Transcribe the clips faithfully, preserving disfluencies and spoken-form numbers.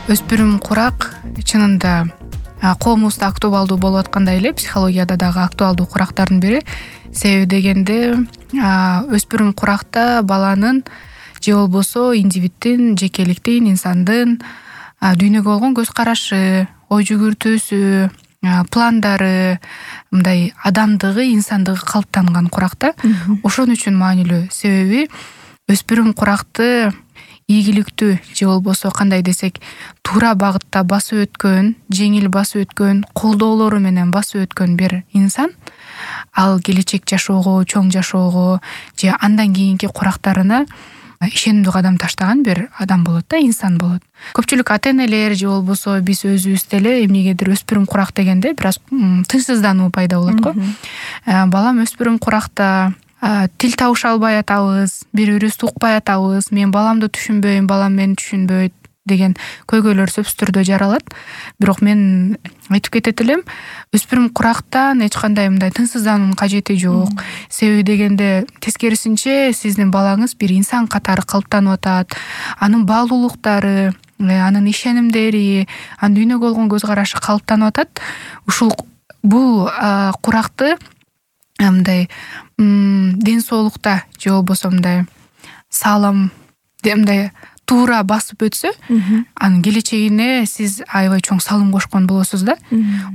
Өспүрүм курак чынында коомубузда актуалдуу болуп аткандай эле, психологияда дагы актуалдуу курактардын бири. Себеби дегенде өспүрүм куракта баланын же болбосо индивиддин, жекеликтин, инсандын дүйнөгө болгон көз карашы, ой жүгүртүүсү, пландары, мындай адамдыгы, инсандыгы калыптанган куракта. Ошон үчүн маанилүү. Себеби өспүрүм куракты ийгиликтүү же болбосо кандай десек, туура багытта басып өткөн, жеңил басып өткөн, колдоолору менен басып өткөн бир инсан ал келечек жашоого, чоң жашоого же андан кийинки курактарына ишенимдүү кадам таштаган бир адам болот да, инсан болот. Көпчүлүк ата-энелер же болбосо биз өзүбүз деле эмнегедир өспүрүм курак дегенде бир аз тынчсыздануу пайда болот го. Балам өспүрүм куракта, тил табыша албай атабыз, бири бирибизди укпай атабыз, мен баламды түшүнбөйм, балам мени түшүнбөйт деген көйгөйлөр сөзсүз түрдө жаралат. Бирок мен айтып кетет элем, өспүрүм курактан эч кандай мындай тынчсыздануунун кажети жок. Себеби дегенде тескерисинче сиздин балаңыз бир инсан катары калыптанып атат. Анын баалуулуктары, анын ишенимдери, анын дүйнөгө болгон көз карашы калыптанып атат. Ушул бул куракты мындай ден соолукта же болбосо мындай салам, мындай туура басып өтсө, анын келечегине сиз аябай чоң салым кошкон болосуз да.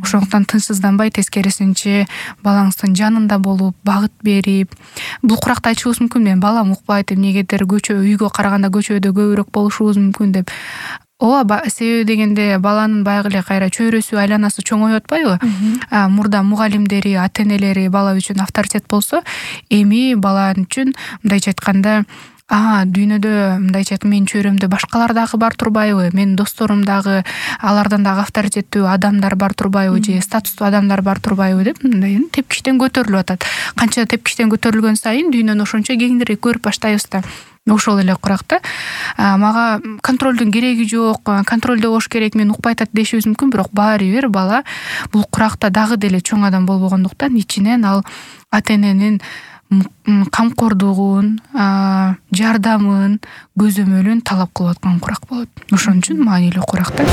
Ошондуктан тынчсызданбай, тескерисинче балаңыздын жанында болуп, багыт берип, бул куракты айтышыбыз мүмкүн, мен балам укпайт, эмнегедир көчө үйгө караганда көчөдө көбүрөөк болушубуз мүмкүн деп. Ооба, себеби дегенде баланын баягы эле кайра чөйрөсү, айланасы чоңоюп атпайбы? Мурда мугалимдери, ата-энелери бала үчүн авторитет болсо, эми бала үчүн мындайча айтканда, а дүйнөдө мындайча айтканда менин чөйрөмдө башкалар дагы бар турбайбы, менин досторум дагы, алардан дагы авторитеттүү адамдар бар турбайбы, же статустуу адамдар бар турбайбы деп мындай тепкичтен көтөрүлүп атат. Канча тепкичтен көтөрүлгөн сайын дүйнөнү ошончо кеңирээк көрүп баштайбыз да. Ошол эле куракта мага контролдун кереги жок, контролдо болуш керек, мен укпай атат дешибиз мүмкүн, бирок баары бир бала бул куракта дагы деле чоң адам болбогондуктан ичинен ал ата-эненин камкордугун, жардамын, көзөмөлүн талап кылып аткан курак болот. Ошон үчүн маанилүү курак да.